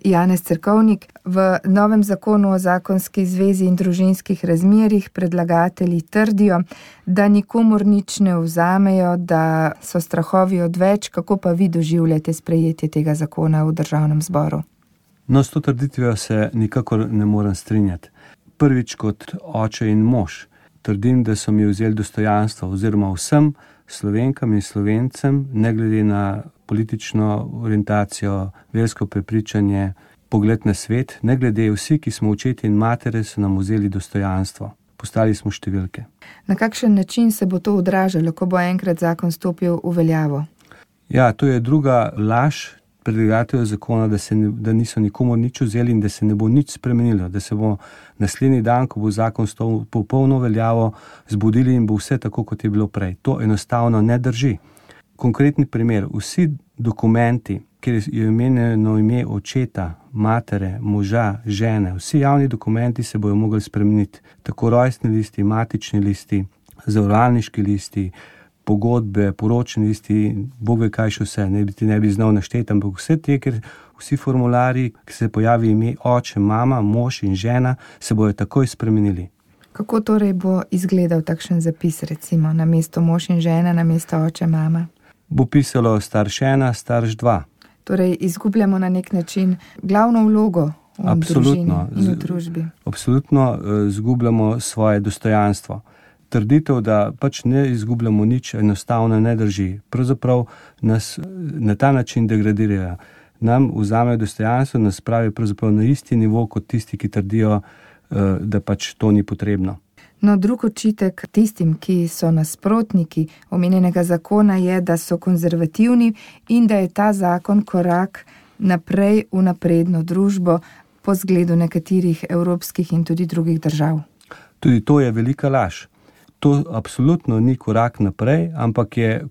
Janez Cerkovnik. V novem zakonu o zakonski zvezi in družinskih razmerjih predlagatelji trdijo, da nikomur nič ne vzamejo, da so strahovi odveč. Kako pa vi doživljate sprejetje tega zakona v Državnem zboru? No, s to trditvijo se nikakor ne morem strinjati. Prvič kot oče in mož trdim, da so mi vzeli dostojanstvo oziroma vsem Slovenkam in Slovencem, ne glede na politično orientacijo, versko prepričanje, pogled na svet, ne glede vsi, ki smo očeti in matere, so nam vzeli dostojanstvo. Postali smo številke. Na kakšen način se bo to odražalo, ko bo enkrat zakon stopil v veljavo? Ja, to je druga laž predlagateljev zakona, da niso nikomur nič vzeli in da se ne bo nič spremenilo, da se bo naslednji dan, ko bo zakon stopil v polno veljavo, zbudili in bo vse tako, kot je bilo prej. To enostavno ne drži. Konkretni primer, vsi dokumenti, kjer je omenjeno ime očeta, matere, moža, žene, vsi javni dokumenti se bojo mogli spremeniti. Tako rojstni listi, matični listi, zavarovalniški listi, pogodbe, poročni listi, Bog ve kaj še vse, ne bi znal našteti, ampak vse te, ker vsi formulari, ki se pojavi ime oče, mama, mož in žena, se bojo takoj spremenili. Kako torej bo izgledal takšen zapis, recimo, namesto mož in žena, namesto oče, mama? Bo pisalo starš 1, starš 2. Torej izgubljamo na nek način glavno vlogo v družini in v družbi. Absolutno izgubljamo svoje dostojanstvo. Trditev, da pač ne izgubljamo nič, enostavno ne drži. Pravzaprav nas na ta način degradirajo. Nam vzamejo dostojanstvo, nas spravijo pravzaprav na isti nivo kot tisti, ki trdijo, da pač to ni potrebno. No, drug očitek tistim, ki so nasprotniki omenjenega zakona, je, da so konzervativni in da je ta zakon korak naprej v napredno družbo po zgledu nekaterih evropskih in tudi drugih držav. Tudi to je velika laž. To absolutno ni korak naprej, ampak je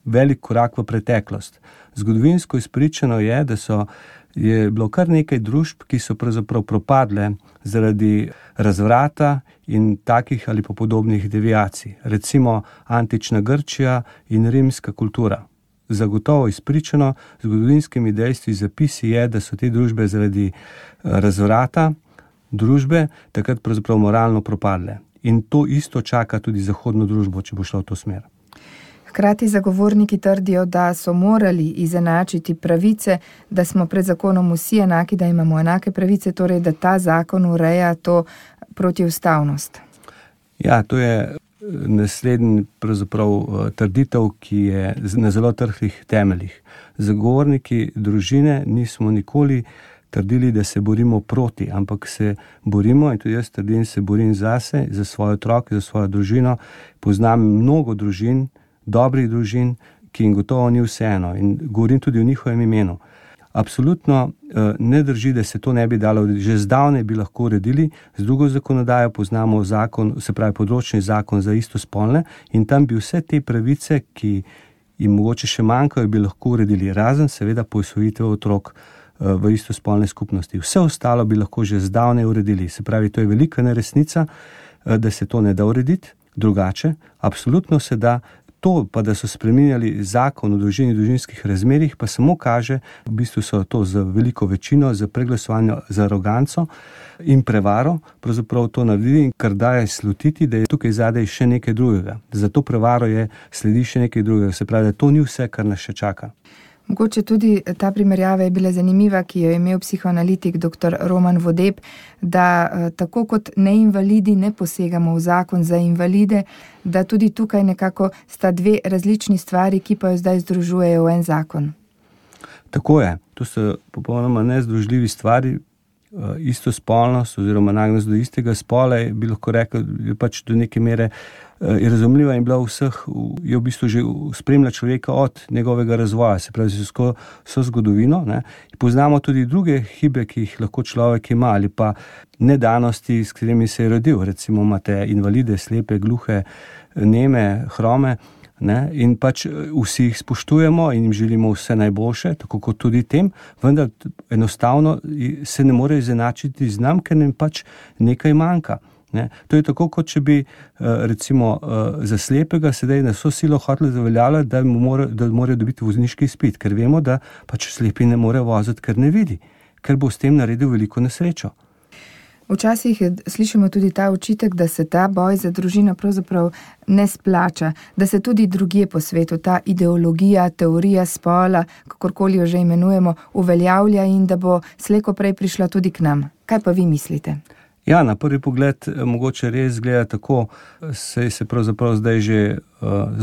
velik korak v preteklost. Zgodovinsko izpričano je, da je bilo kar nekaj družb, ki so pravzaprav propadle zaradi razvrata in takih ali pa podobnih deviacij. Recimo antična Grčija in rimska kultura. Zagotovo izpričano, zgodovinskimi dejstvi zapisi je, da so te družbe zaradi razvrata družbe takrat pravzaprav moralno propadle. In to isto čaka tudi zahodno družbo, če bo šlo v to smer. Hkrati zagovorniki trdijo, da so morali izenačiti pravice, da smo pred zakonom vsi enaki, da imamo enake pravice, torej da ta zakon ureja to protiustavnost. Ja, to je naslednji pravzaprav trditev, ki je na zelo trhlih temeljih. Zagovorniki družine nismo nikoli trdili, da se borimo proti, ampak se borimo, in tudi jaz trdim, se borim zase, za svoje otroke, za svojo družino. Poznam mnogo družin, dobrih družin, ki jim gotovo ni vseeno, in govorim tudi o njihovem imenu. Absolutno ne drži, da se to ne bi dalo urediti. Že zdavnaj bi lahko uredili, z drugo zakonodajo poznamo zakon, se pravi področni zakon za istospolne, in tam bi vse te pravice, ki jim mogoče še manjkajo, bi lahko uredili, razen seveda posvojitev otrok v istospolne skupnosti. Vse ostalo bi lahko že zdavnaj uredili. Se pravi, to je velika neresnica, da se to ne da urediti drugače. Absolutno se da. To pa, da so spreminjali zakon o družini in družinskih razmerjih, pa samo kaže, v bistvu so to z veliko večino, z preglasovanjem, z aroganco in prevaro pravzaprav to naredili, in kar daje slutiti, da je tukaj zadaj še nekaj drugega. Za to prevaro sledi še nekaj drugega. Se pravi, da to ni vse, kar nas še čaka. Mogoče tudi ta primerjava je bila zanimiva, ki jo je imel psihoanalitik dr. Roman Vodeb, da tako kot neinvalidi ne posegamo v zakon za invalide, da tudi tukaj nekako sta dve različni stvari, ki pa jo zdaj združujejo v en zakon. Tako je. To so popolnoma nezdružljivi stvari. Istospolnost oziroma nagnjenost do istega spola bi lahko rekel, je pač do neke mere je razumljiva in bila vseh, je v bistvu že spremlja človeka od njegovega razvoja, se pravi so zgodovino. Poznamo tudi druge hibe, ki jih lahko človek ima, ali pa nedanosti, s katerimi se je rodil. Recimo imate invalide, slepe, gluhe, neme, hrome, in pač vsi jih spoštujemo in jim želimo vse najboljše, tako kot tudi tem, vendar enostavno se ne more izenačiti z nam, ker nam pač nekaj manjka. Ne? To je tako, kot če bi recimo za slepega sedaj na vso silo hoteli zaveljavljati, da morajo dobiti vozniški izpit, ker vemo, da pač slepi ne more voziti, ker ne vidi, ker bo s tem naredil veliko nesrečo. Včasih slišimo tudi ta očitek, da se ta boj za družino pravzaprav ne splača, da se tudi drugje po svetu ta ideologija, teorija spola, kakorkoli jo že imenujemo, uveljavlja in da bo slej ko prej prišla tudi k nam. Kaj pa vi mislite? Ja, na prvi pogled mogoče res gleda tako, saj se pravzaprav zdaj že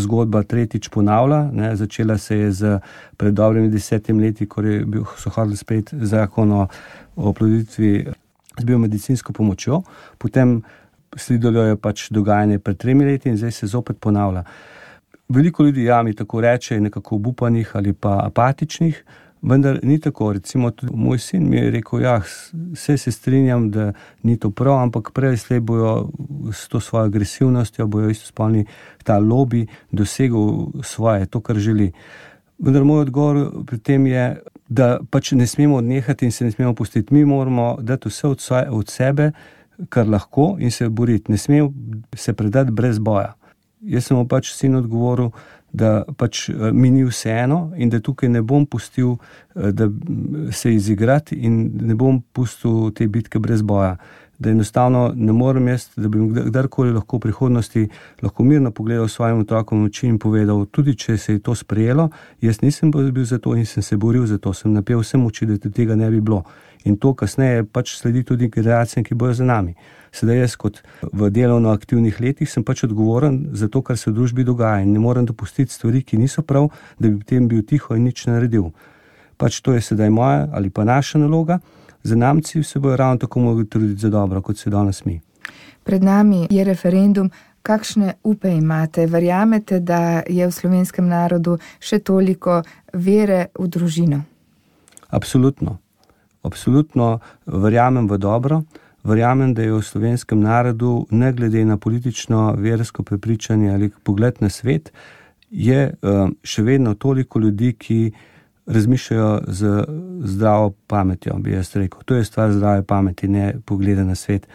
zgodba tretjič ponavlja, ne, začela se je pred dobrimi 10 leti, ko so hoteli sprejeti zakon o oploditvi z biomedicinsko pomočjo, potem sledilo je pač dogajanje pred 3 leti in zdaj se zopet ponavlja. Veliko ljudi mi tako reče, nekako obupanih ali pa apatičnih, vendar ni tako. Recimo tudi moj sin mi je rekel, vse se strinjam, da ni to prav, ampak prej slej bojo s to svojo agresivnostjo, bojo istospolni ta lobby dosegel svoje, to, kar želi. Vendar moj odgovor pri tem je, da pač ne smemo odnehati in se ne smemo pustiti. Mi moramo dati vse od sebe, kar lahko, in se boriti. Ne smemo se predati brez boja. Jaz sem mu pač sin odgovoril, da pač mi ni vseeno in da tukaj ne bom pustil, da se izigrati in ne bom pustil te bitke brez boja. Da enostavno ne morem jaz, da bi kdarkoli lahko v prihodnosti lahko mirno pogledal svojim otrokom v oči in povedal, tudi če se je to sprejelo, jaz nisem bil za to in sem se boril za to, sem napel vse moči, da tega ne bi bilo. In to kasneje pač sledi tudi generacijam, ki bojo za nami. Sedaj jaz kot v delovno aktivnih letih sem pač odgovoren za to, kar se v družbi dogaja in ne morem dopustiti stvari, ki niso prav, da bi potem bil tiho in nič naredil. Pač to je sedaj moja ali pa naša naloga. Zanamci se bojo ravno tako mogli truditi za dobro, kot se danes mi. Pred nami je referendum. Kakšne upe imate? Verjamete, da je v slovenskem narodu še toliko vere v družino? Absolutno. Absolutno verjamem v dobro. Verjamem, da je v slovenskem narodu, ne glede na politično, versko prepričanje ali pogled na svet, je še vedno toliko ljudi, ki razmišljajo z zdravo pametjo, bi jaz rekel. To je stvar zdrave pameti, ne pogleda na svet.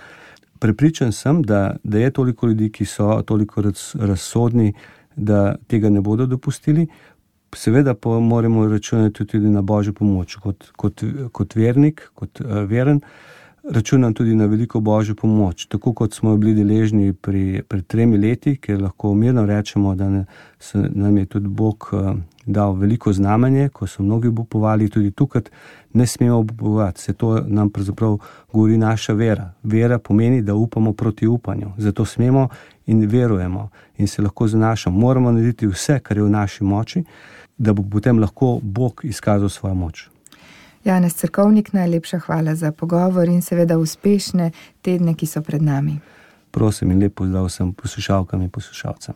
Prepričan sem, da je toliko ljudi, ki so toliko razsodni, da tega ne bodo dopustili. Seveda pa moramo računati tudi na Božjo pomoč. Kot vernik, kot veren, računam tudi na veliko Božjo pomoč. Tako kot smo bili deležni pred 3 leti, ker lahko mirno rečemo, da nam je tudi Bog dal veliko znamenje, ko so mnogi obupovali, tudi tukaj ne smemo obupovati. Se to nam pravzaprav govori naša vera. Vera pomeni, da upamo proti upanju. Zato smemo in verujemo in se lahko zanašamo. Moramo narediti vse, kar je v naši moči, da bo potem lahko Bog izkazal svojo moč. Janez Cerkovnik, najlepša hvala za pogovor in seveda uspešne tedne, ki so pred nami. Prosim in lep pozdrav vsem poslušalkam in poslušalcem.